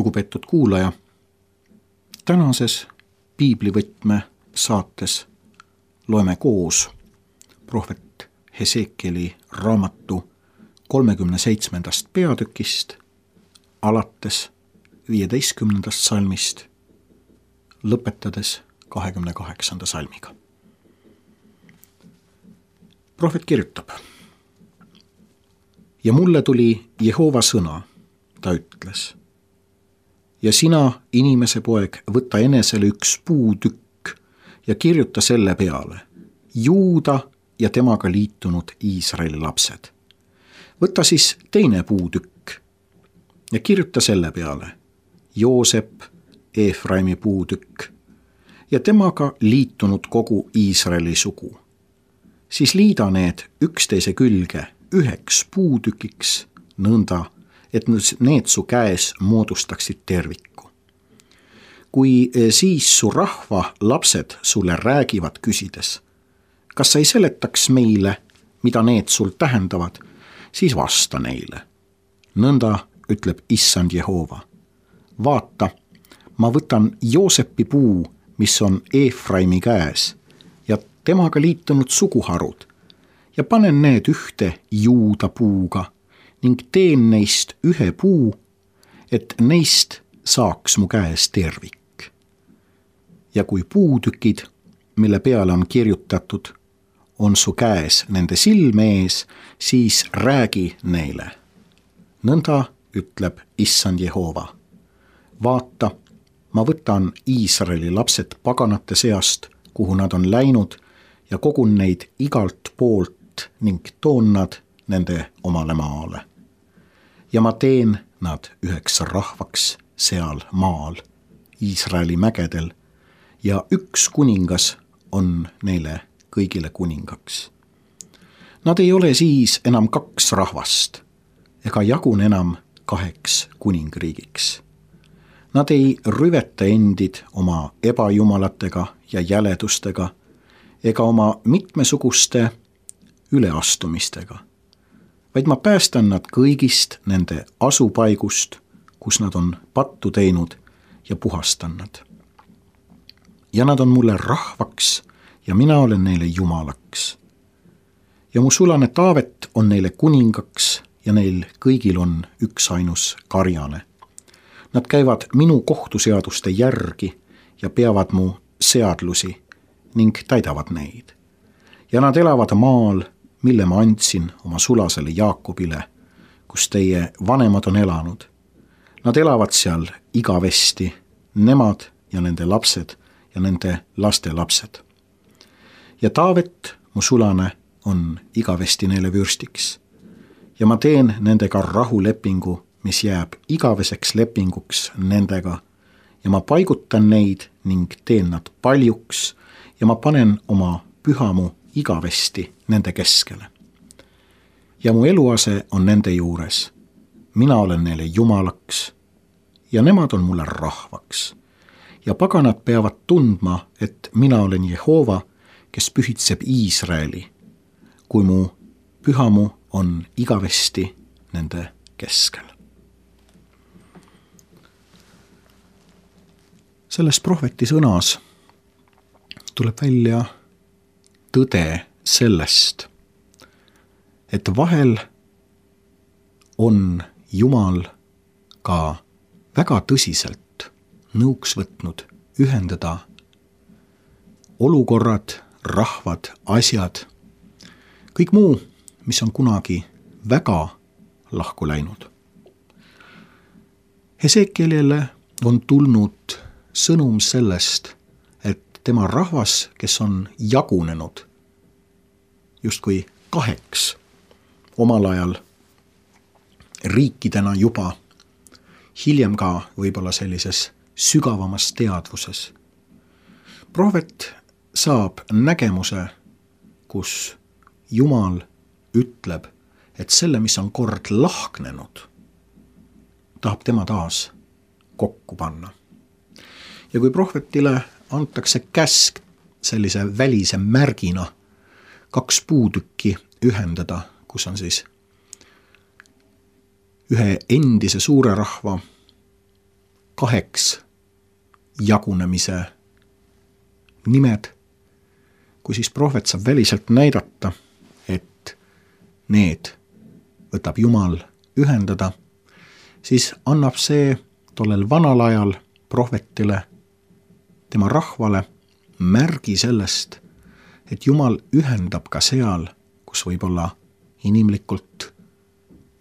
Lugupeetud kuulaja, tänases piiblivõtme saates loeme koos prohvet Hesekieli raamatu 37. peatükist alates 15. salmist, lõpetades 28. salmiga. Prohvet kirjutab: ja mulle tuli Jehova sõna, ta ütles: ja sina, inimese poeg, võta enesele üks puutükk ja kirjuta selle peale Juuda ja temaga liitunud Iisraeli lapsed. Võta siis teine puutükk ja kirjuta selle peale Joosep, Eefraimi puutükk ja temaga liitunud kogu Iisraeli sugu. Siis liida need üksteise külge üheks puutükiks nõnda, et need su käes moodustaksid terviku. Kui siis su rahva lapsed sulle räägivad küsides, kas sa ei seletaks meile, mida need sul tähendavad, siis vasta neile. Nõnda ütleb Issand Jehova: vaata, ma võtan Joosepi puu, mis on Eefraimi käes, ja temaga liitunud suguharud, ja panen need ühte Juuda puuga ning teen neist ühe puu, et neist saaks mu käes tervik. Ja kui puutükid, mille peale on kirjutatud, on su käes nende silme ees, siis räägi neile. Nõnda ütleb Issand Jehova: vaata, ma võtan Iisraeli lapsed paganate seast, kuhu nad on läinud, ja kogun neid igalt poolt ning toon nad nende omale maale. Ja ma teen nad üheks rahvaks seal maal, Iisraeli mägedel, ja üks kuningas on neile kõigile kuningaks. Nad ei ole siis enam kaks rahvast, ega jagun enam kaheks kuningriigiks. Nad ei rüveta endid oma ebajumalatega ja jäledustega, ega oma mitmesuguste üleastumistega, vaid ma päästan nad kõigist nende asupaigust, kus nad on pattu teinud, ja puhastan nad. Ja nad on mulle rahvaks ja mina olen neile jumalaks. Ja mu sulane Taavet on neile kuningaks ja neil kõigil on üksainus karjane. Nad käivad minu kohtuseaduste järgi ja peavad mu seadlusi ning täidavad neid. Ja nad elavad maal, mille ma andsin oma sulasele Jaakobile, kus teie vanemad on elanud. Nad elavad seal igavesti, nemad ja nende lapsed ja nende laste lapsed. Ja Taavet, mu sulane, on igavesti neile vürstiks. Ja ma teen nendega rahulepingu, mis jääb igaveseks lepinguks nendega, ja ma paigutan neid ning teen nad paljuks, ja ma panen oma pühamu igavesti nende keskele. Ja mu eluase on nende juures. Mina olen neile jumalaks ja nemad on mulle rahvaks. Ja paganad peavad tundma, et mina olen Jehova, kes pühitseb Iisraeli, kui mu pühamu on igavesti nende keskel. Selles prohveti sõnas tuleb välja tõde sellest, et vahel on Jumal ka väga tõsiselt nõuks võtnud ühendada olukorrad, rahvad, asjad, kõik muu, mis on kunagi väga lahku läinud. Hesekielile on tulnud sõnum sellest, et tema rahvas, kes on jagunenud justkui kaheks omal ajal riikidena juba, hiljem ka võib-olla sellises sügavamas teadvuses. Prohvet saab nägemuse, kus Jumal ütleb, et selle, mis on kord lahknenud, tahab tema taas kokku panna. Ja kui prohvetile antakse käsk sellise välise märgina kaks puutükki ühendada, kus on siis ühe endise suure rahva kaheks jagunemise nimed, kui siis prohvet saab väliselt näidata, et need võtab Jumal ühendada, siis annab see tollel vanal ajal prohvetile, tema rahvale märgi sellest, et Jumal ühendab ka seal, kus võib-olla inimlikult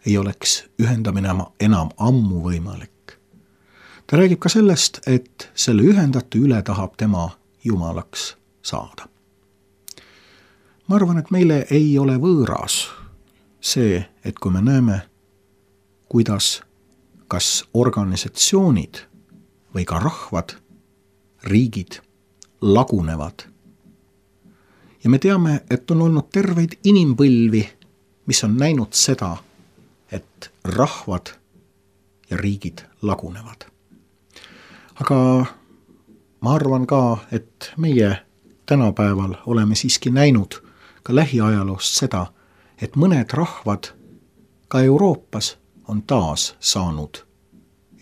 ei oleks ühendamine enam ammu võimalik. Ta räägib ka sellest, et selle ühendatu üle tahab tema Jumalaks saada. Ma arvan, et meile ei ole võõras see, et kui me näeme, kuidas kas organisatsioonid või ka rahvad, riigid lagunevad. Ja me teame, et on olnud terveid inimpõlvi, mis on näinud seda, et rahvad ja riigid lagunevad. Aga ma arvan ka, et meie tänapäeval oleme siiski näinud ka lähiajaloost seda, et mõned rahvad ka Euroopas on taas saanud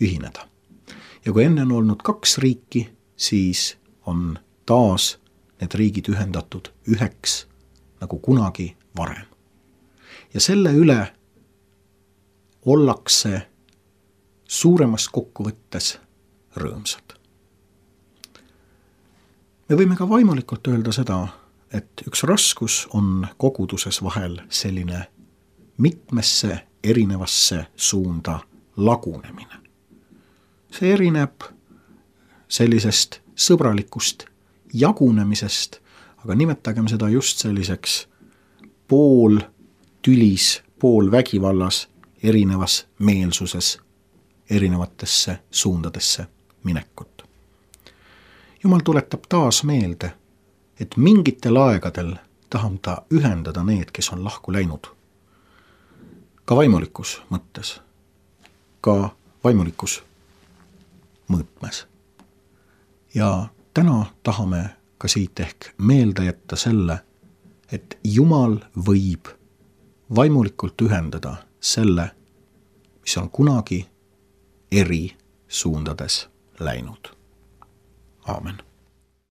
ühineda. Ja kui enne on olnud 2 riiki, siis on taas need riigid ühendatud üheks nagu kunagi varem. Ja selle üle ollakse suuremas kokkuvõttes rõõmsad. Me võime ka vaimulikult öelda seda, et üks raskus on koguduses vahel selline mitmesse erinevasse suunda lagunemine. See erineb sellisest sõbralikust jagunemisest, aga nimetagem seda just selliseks pool tülis, pool vägivallas, erinevas meelsuses, erinevatesse suundadesse minekut. Jumal tuletab taas meelde, et mingitel aegadel tahab ta ühendada need, kes on lahku läinud. Ka vaimulikus mõttes, ka vaimulikus mõõtmes. Ja täna tahame ka siit ehk meelde jätta selle, et Jumal võib vaimulikult ühendada selle, mis on kunagi eri suundades läinud. Aamen.